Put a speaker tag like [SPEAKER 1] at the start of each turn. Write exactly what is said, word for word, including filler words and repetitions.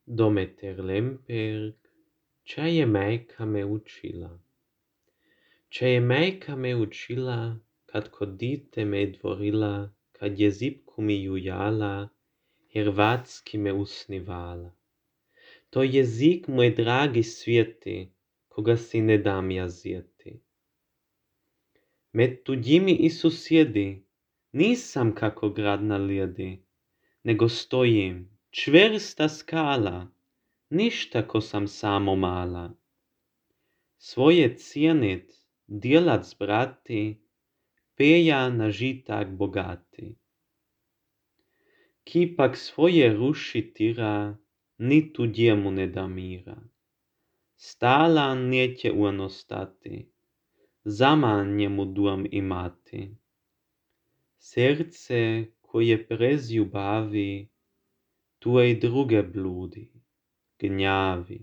[SPEAKER 1] Dometer Lemperg, čo je majka me učila. Čo je majka me učila, kad kod dite me dvorila, kad je zipku mi jujala, hrvatski me usnivala. To jezik moj dragi svijeti, koga si ne dam ja zjeti. Med tuđimi i susjedi, nisam kako grad na lijedi, nego stojim, čvrsta skala, ništa ko sam samo mala. Svoje cijenit, djelac brati, peja na žitak bogati. Ki pak svoje ruši tira, ni tuđemu ne da mira. Stala neće uano stati, zaman njemu duam imati. Serce koje prez ljubavi, tuej druge bludi, gnjavi.